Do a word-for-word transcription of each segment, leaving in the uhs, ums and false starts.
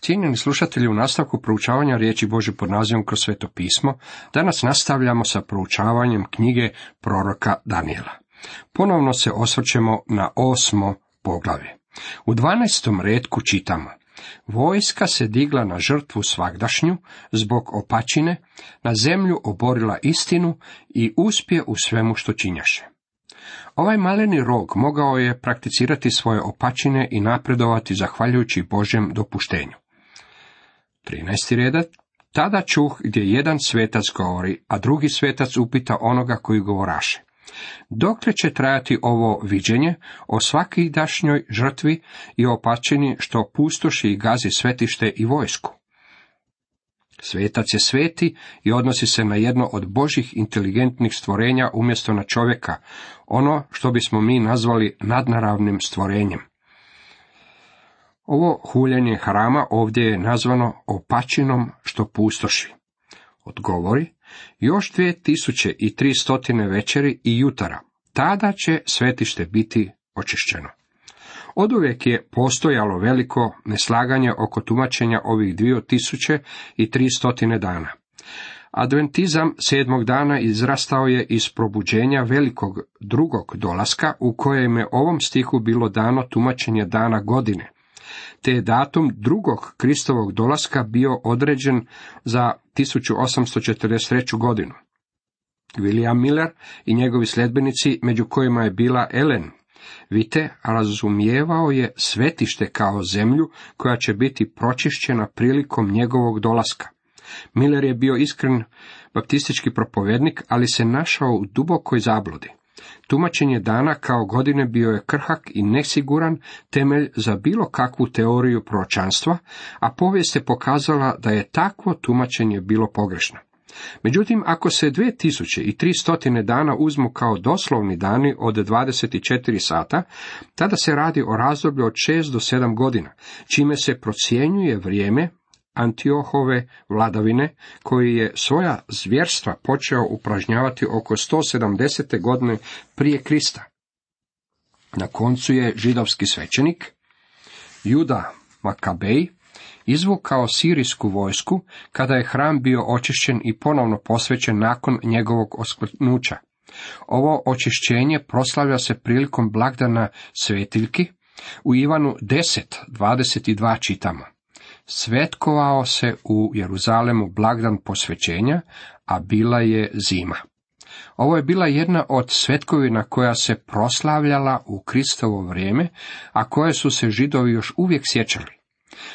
Cijenjeni slušatelji, u nastavku proučavanja riječi Božje pod nazivom Kroz sveto pismo, danas nastavljamo sa proučavanjem knjige proroka Danijela. Ponovno se osvrćemo na osmo poglavlje. U dvanaestom retku čitamo: Vojska se digla na žrtvu svagdašnju zbog opačine, na zemlju oborila istinu i uspje u svemu što činjaše. Ovaj maleni rog mogao je prakticirati svoje opačine i napredovati zahvaljujući Božjem dopuštenju. trinaesti redak. Tada čuh gdje jedan svetac govori, a drugi svetac upita onoga koji govoraše: Dokle će trajati ovo viđenje o svakidašnjoj žrtvi i opačini što pustoši i gazi svetište i vojsku? Svetac je sveti i odnosi se na jedno od Božjih inteligentnih stvorenja umjesto na čovjeka, ono što bismo mi nazvali nadnaravnim stvorenjem. Ovo huljenje hrama ovdje je nazvano opačinom što pustoši. Odgovori: još dvije tisuće i tri stotine večeri i jutara, tada će svetište biti očišćeno. Oduvijek je postojalo veliko neslaganje oko tumačenja ovih dvije tisuće i tri stotine dana. Adventizam sedmog dana izrastao je iz probuđenja velikog drugog dolaska, u kojem je ovom stihu bilo dano tumačenje dana godine, te je datum drugog Kristovog dolaska bio određen za tisuću osamsto četrdeset treću godinu. William Miller i njegovi sljedbenici, među kojima je bila Ellen White, razumijevao je svetište kao zemlju koja će biti pročišćena prilikom njegovog dolaska. Miller je bio iskren baptistički propovednik, ali se našao u dubokoj zabludi. Tumačenje dana kao godine bio je krhak i nesiguran temelj za bilo kakvu teoriju proročanstva, a povijest je pokazala da je takvo tumačenje bilo pogrešno. Međutim, ako se dvije tisuće i tri stotine dana uzmu kao doslovni dani od dvadeset četiri sata, tada se radi o razdoblju od šest do sedam godina, čime se procjenjuje vrijeme Antiohove vladavine, koji je svoja zvjerstva počeo upražnjavati oko sto sedamdesete godine prije Krista. Na koncu je židovski svećenik Juda Makabej izvukao sirijsku vojsku kada je hram bio očišćen i ponovno posvećen nakon njegovog oskvrnuća. Ovo očišćenje proslavlja se prilikom blagdana svetiljki. U Ivanu deset dvadeset dva čitamo: Svetkovao se u Jeruzalemu blagdan posvećenja, a bila je zima. Ovo je bila jedna od svetkovina koja se proslavljala u Kristovo vrijeme, a koje su se Židovi još uvijek sjećali.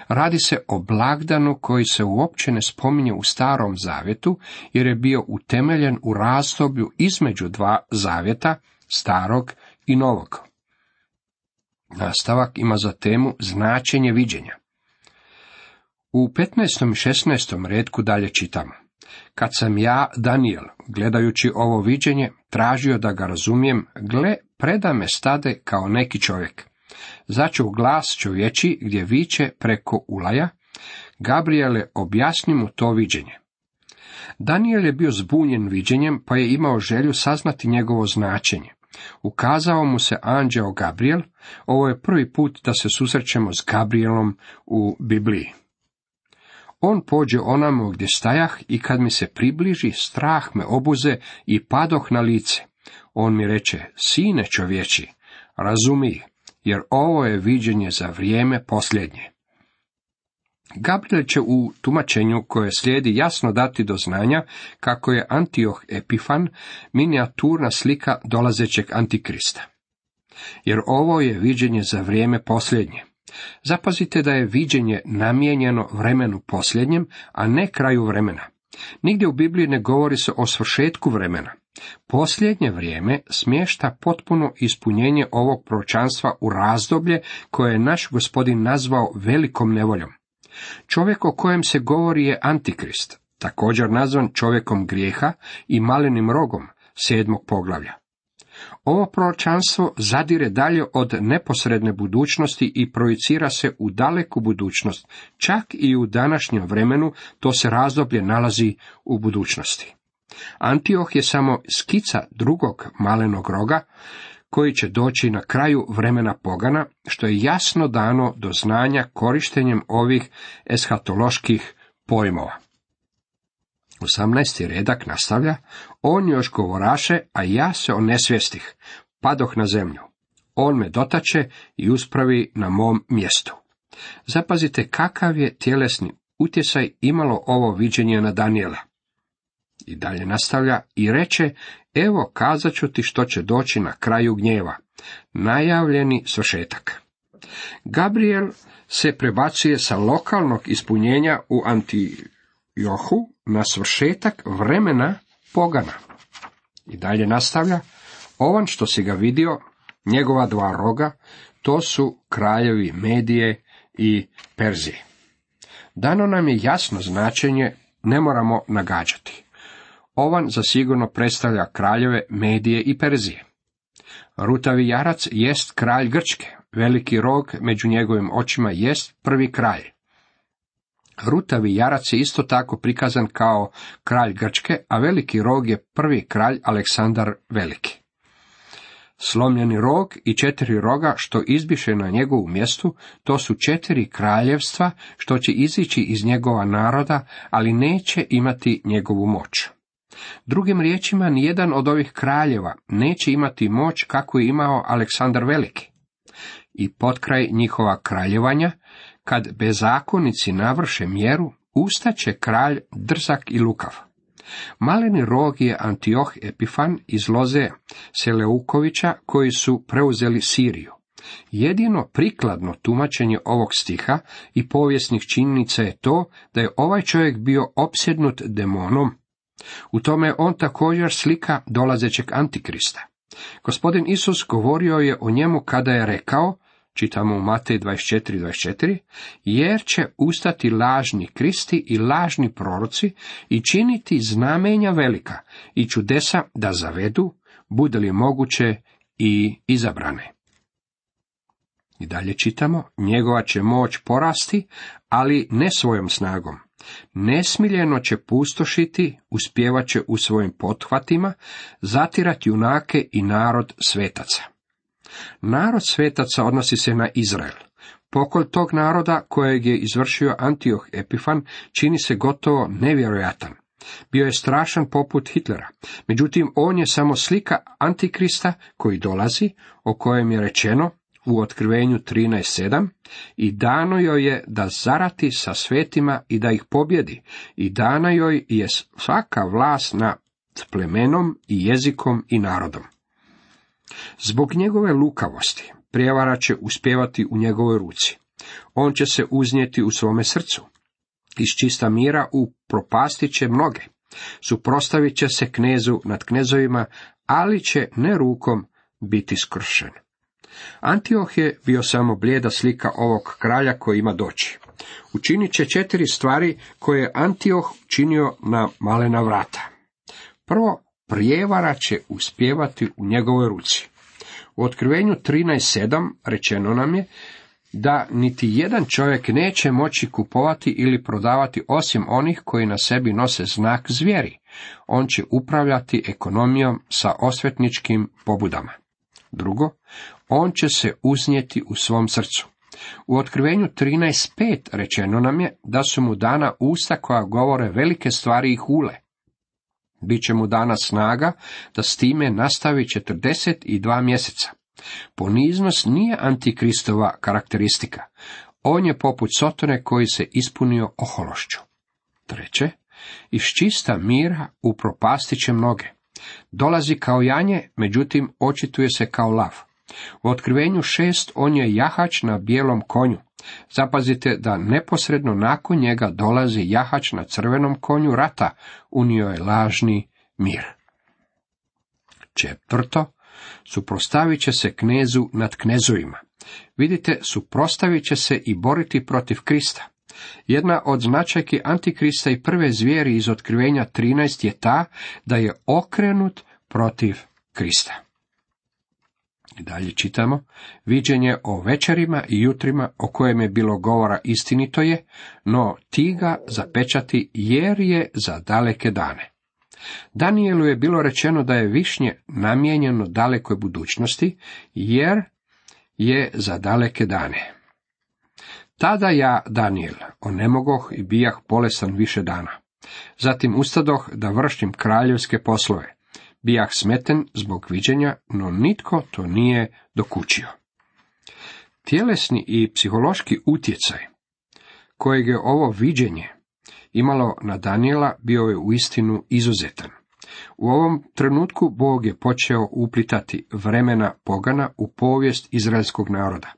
Radi se o blagdanu koji se uopće ne spominje u Starom zavjetu, jer je bio utemeljen u razdoblju između dva zavjeta, Starog i Novog. Nastavak ima za temu značenje viđenja. U petnaestom i šesnaestom retku dalje čitamo: Kad sam ja, Danijel, gledajući ovo viđenje, tražio da ga razumijem, gle, preda me stade kao neki čovjek. Začuh glas čovječi gdje viče preko ulaja: Gabriele, objasni mu to viđenje. Danijel je bio zbunjen viđenjem, pa je imao želju saznati njegovo značenje. Ukazao mu se anđeo Gabriel. Ovo je prvi put da se susrećemo s Gabrielom u Bibliji. On pođe onamo gdje stajah i kad mi se približi, strah me obuze i padoh na lice. On mi reče: Sine čovječi, razumij, jer ovo je viđenje za vrijeme posljednje. Gabriel će u tumačenju koje slijedi jasno dati do znanja kako je Antioh Epifan minijaturna slika dolazećeg Antikrista. Jer ovo je viđenje za vrijeme posljednje. Zapazite da je viđenje namijenjeno vremenu posljednjem, a ne kraju vremena. Nigdje u Bibliji ne govori se o svršetku vremena. Posljednje vrijeme smješta potpuno ispunjenje ovog proročanstva u razdoblje koje je naš Gospodin nazvao velikom nevoljom. Čovjek o kojem se govori je Antikrist, također nazvan čovjekom grijeha i malenim rogom sedmog poglavlja. Ovo proročanstvo zadire dalje od neposredne budućnosti i projicira se u daleku budućnost, čak i u današnjem vremenu to se razdoblje nalazi u budućnosti. Antioh je samo skica drugog malenog roga, koji će doći na kraju vremena pogana, što je jasno dano do znanja korištenjem ovih eshatoloških pojmova. osamnaesti redak nastavlja, on još govoraše, a ja se onesvijestih, padoh na zemlju. On me dotače i uspravi na mom mjestu. Zapazite kakav je tjelesni utjecaj imalo ovo viđenje na Danijela. I dalje nastavlja i reče, evo kazat ću ti što će doći na kraju gnjeva, najavljeni svršetak. Gabriel se prebacuje sa lokalnog ispunjenja u Antiohu na svršetak vremena pogana. I dalje nastavlja, ovan što si ga vidio, njegova dva roga, to su kraljevi Medije i Perzije. Dano nam je jasno značenje, ne moramo nagađati. Ovan zasigurno predstavlja kraljeve Medije i Perzije. Rutavi jarac jest kralj Grčke, veliki rog među njegovim očima jest prvi kralj. Rutavi jarac je isto tako prikazan kao kralj Grčke, a veliki rog je prvi kralj Aleksandar Veliki. Slomljeni rog i četiri roga što izbiše na njegovu mjestu, to su četiri kraljevstva što će izići iz njegova naroda, ali neće imati njegovu moć. Drugim riječima, nijedan od ovih kraljeva neće imati moć kako je imao Aleksandar Veliki. I potkraj njihova kraljevanja, kad bezakonici navrše mjeru, ustaće kralj drzak i lukav. Maleni rog je Antioh Epifan iz loze Seleukovića koji su preuzeli Siriju. Jedino prikladno tumačenje ovog stiha i povijesnih činjenica je to da je ovaj čovjek bio opsjednut demonom. U tome on također slika dolazećeg Antikrista. Gospodin Isus govorio je o njemu kada je rekao, čitamo u Matej dvadeset četiri dvadeset četiri, jer će ustati lažni kristi i lažni proroci i činiti znamenja velika i čudesa da zavedu, bude li moguće i izabrane. I dalje čitamo, njegova će moć porasti, ali ne svojom snagom. Nesmiljeno će pustošiti, uspjevat će u svojim pothvatima, zatirati junake i narod svetaca. Narod svetaca odnosi se na Izrael. Pokolj tog naroda kojeg je izvršio Antioh Epifan čini se gotovo nevjerojatan. Bio je strašan poput Hitlera. Međutim, on je samo slika Antikrista koji dolazi, o kojem je rečeno u Otkrivenju trinaest sedam, i dano joj je da zarati sa svetima i da ih pobjedi, i dana joj je svaka vlast nad plemenom i jezikom i narodom. Zbog njegove lukavosti prijevara će uspjevati u njegovoj ruci. On će se uznijeti u svome srcu. Iz čista mira upropastit će mnoge. Suprotstavit će se knezu nad knezovima, ali će ne rukom biti skršen. Antioh je bio samo blijeda slika ovog kralja koji ima doći. Učinit će četiri stvari koje je Antioh činio na malena vrata. Prvo, prijevara će uspjevati u njegovoj ruci. U Otkrivenju trinaest sedam rečeno nam je da niti jedan čovjek neće moći kupovati ili prodavati osim onih koji na sebi nose znak zvijeri. On će upravljati ekonomijom sa osvetničkim pobudama. Drugo, on će se uznijeti u svom srcu. U Otkrivenju trinaest pet rečeno nam je da su mu dana usta koja govore velike stvari i hule. Biće mu dana snaga da s time nastavi četrdeset dva mjeseca. Poniznost nije antikristova karakteristika. On je poput Sotone koji se ispunio ohološću. Treće, iz čista mira upropastit će mnoge. Dolazi kao janje, međutim očituje se kao lav. U Otkrivenju šest on je jahač na bijelom konju. Zapazite da neposredno nakon njega dolazi jahač na crvenom konju rata, unio je lažni mir. Četvrto, suprotstavit će se knezu nad knezovima. Vidite, suprotstavit će se i boriti protiv Krista. Jedna od značajki Antikrista i prve zvijeri iz Otkrivenja trinaest je ta da je okrenut protiv Krista. I dalje čitamo, viđenje o večerima i jutrima o kojem je bilo govora istinito je, no ti ga zapečati jer je za daleke dane. Danijelu je bilo rečeno da je višnje namijenjeno dalekoj budućnosti, jer je za daleke dane. Tada ja, Danijel, onemogoh i bijah bolesan više dana. Zatim ustadoh da vršim kraljevske poslove. Bijah smeten zbog viđenja, no nitko to nije dokučio. Tjelesni i psihološki utjecaj kojeg je ovo viđenje imalo na Danijela bio je uistinu izuzetan. U ovom trenutku Bog je počeo uplitati vremena pogana u povijest izraelskog naroda.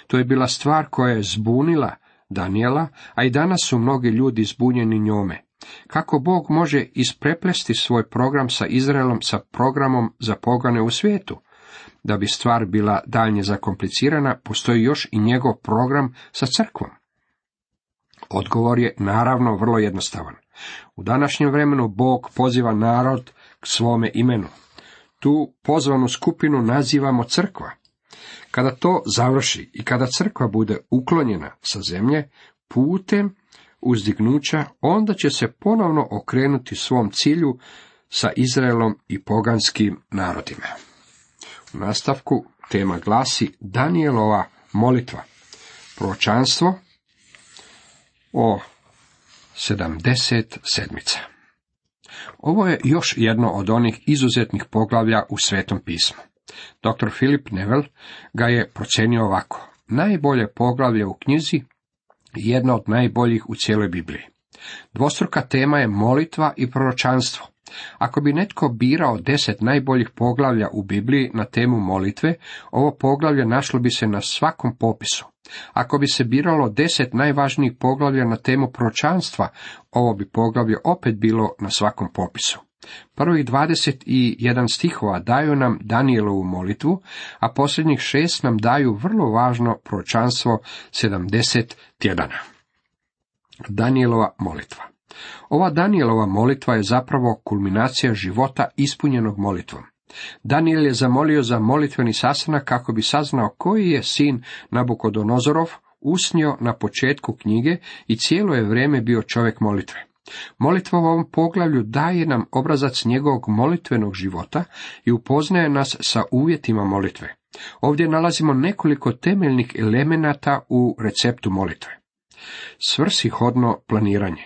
To je bila stvar koja je zbunila Danijela, a i danas su mnogi ljudi zbunjeni njome. Kako Bog može ispreplesti svoj program sa Izraelom sa programom za pogane u svijetu? Da bi stvar bila daljnje zakomplicirana, postoji još i njegov program sa crkvom. Odgovor je naravno vrlo jednostavan. U današnjem vremenu Bog poziva narod k svome imenu. Tu pozvanu skupinu nazivamo crkva. Kada to završi i kada crkva bude uklonjena sa zemlje putem uzdignuća, onda će se ponovno okrenuti svom cilju sa Izraelom i poganskim narodima. U nastavku tema glasi Danijelova molitva, proročanstvo o sedamdeset sedmica. Ovo je još jedno od onih izuzetnih poglavlja u Svetom pismu. doktor Philip Neville ga je procenio ovako: najbolje poglavlje u knjizi, jedna od najboljih u cijeloj Bibliji. Dvostruka tema je molitva i proročanstvo. Ako bi netko birao deset najboljih poglavlja u Bibliji na temu molitve, ovo poglavlje našlo bi se na svakom popisu. Ako bi se biralo deset najvažnijih poglavlja na temu proročanstva, ovo bi poglavlje opet bilo na svakom popisu. Prvih dvadeset jedan stihova daju nam Danijelovu molitvu, a posljednjih šest nam daju vrlo važno proročanstvo sedamdeset tjedana. Danijelova molitva. Ova Danijelova molitva je zapravo kulminacija života ispunjenog molitvom. Danijel je zamolio za molitveni sastanak kako bi saznao koji je sin Nabukodonozorov usnio na početku knjige i cijelo je vrijeme bio čovjek molitve. Molitva u ovom poglavlju daje nam obrazac njegovog molitvenog života i upoznaje nas sa uvjetima molitve. Ovdje nalazimo nekoliko temeljnih elemenata u receptu molitve. Svrsishodno planiranje.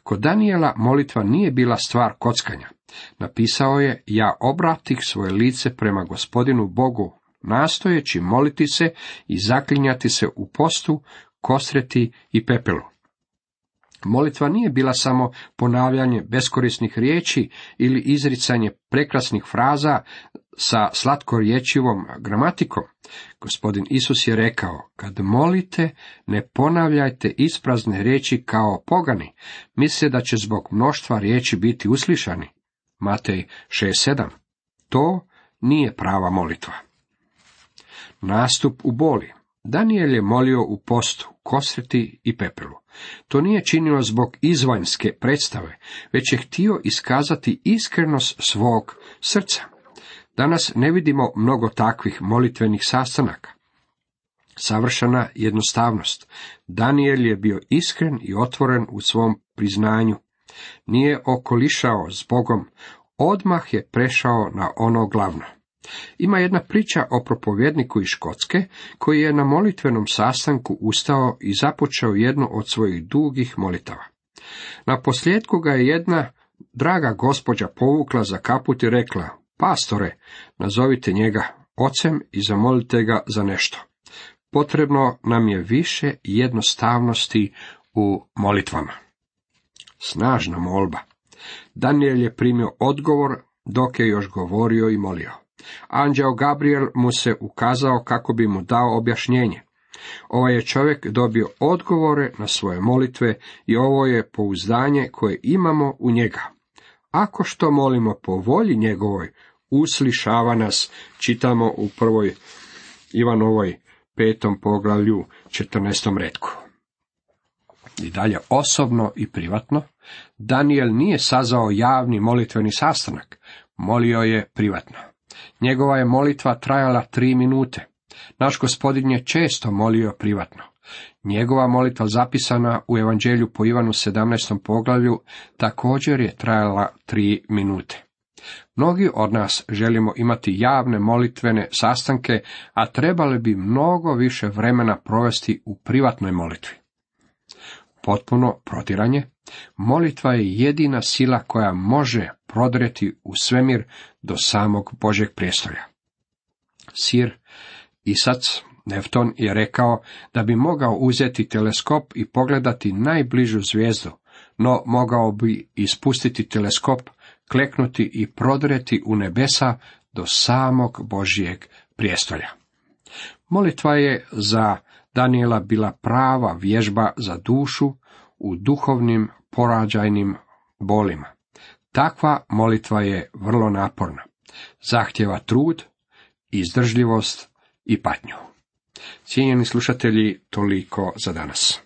Kod Danijela molitva nije bila stvar kockanja. Napisao je: ja obratih svoje lice prema Gospodinu Bogu, nastojeći moliti se i zaklinjati se u postu, kosreti i pepelu. Molitva nije bila samo ponavljanje beskorisnih riječi ili izricanje prekrasnih fraza sa slatkorječivom gramatikom. Gospodin Isus je rekao: kad molite, ne ponavljajte isprazne riječi kao pogani, misle da će zbog mnoštva riječi biti uslišani. Matej šest sedam. To nije prava molitva. Nastup u boli. Danijel je molio u postu, kosreti i pepelu. To nije činio zbog izvanjske predstave, već je htio iskazati iskrenost svog srca. Danas ne vidimo mnogo takvih molitvenih sastanaka. Savršena jednostavnost. Danijel je bio iskren i otvoren u svom priznanju. Nije okolišao s Bogom, odmah je prešao na ono glavno. Ima jedna priča o propovjedniku iz Škotske koji je na molitvenom sastanku ustao i započeo jednu od svojih dugih molitava. Na posljedku ga je jedna draga gospođa povukla za kaput i rekla: pastore, nazovite njega ocem i zamolite ga za nešto. Potrebno nam je više jednostavnosti u molitvama. Snažna molba. Danijel je primio odgovor dok je još govorio i molio. Anđeo Gabriel mu se ukazao kako bi mu dao objašnjenje. Ovaj je čovjek dobio odgovore na svoje molitve i ovo je pouzdanje koje imamo u njega. Ako što molimo po volji njegovoj, uslišava nas, čitamo u prvoj Ivanovoj petom poglavlju četrnaestom retku. I dalje osobno i privatno, Danijel nije sazvao javni molitveni sastanak, molio je privatno. Njegova je molitva trajala tri minute. Naš Gospodin je često molio privatno. Njegova molitva zapisana u Evanđelju po Ivanu sedamnaestom poglavlju također je trajala tri minute. Mnogi od nas želimo imati javne molitvene sastanke, a trebali bi mnogo više vremena provesti u privatnoj molitvi. Potpuno protiranje, molitva je jedina sila koja može prodreti u svemir do samog Božjeg prijestolja. Sir Isac Newton je rekao da bi mogao uzeti teleskop i pogledati najbližu zvijezdu, no mogao bi ispustiti teleskop, kleknuti i prodreti u nebesa do samog Božjeg prijestolja. Molitva je za Danijela bila prava vježba za dušu u duhovnim porađajnim bolima. Takva molitva je vrlo naporna. Zahtjeva trud, izdržljivost i patnju. Cijenjeni slušatelji, toliko za danas.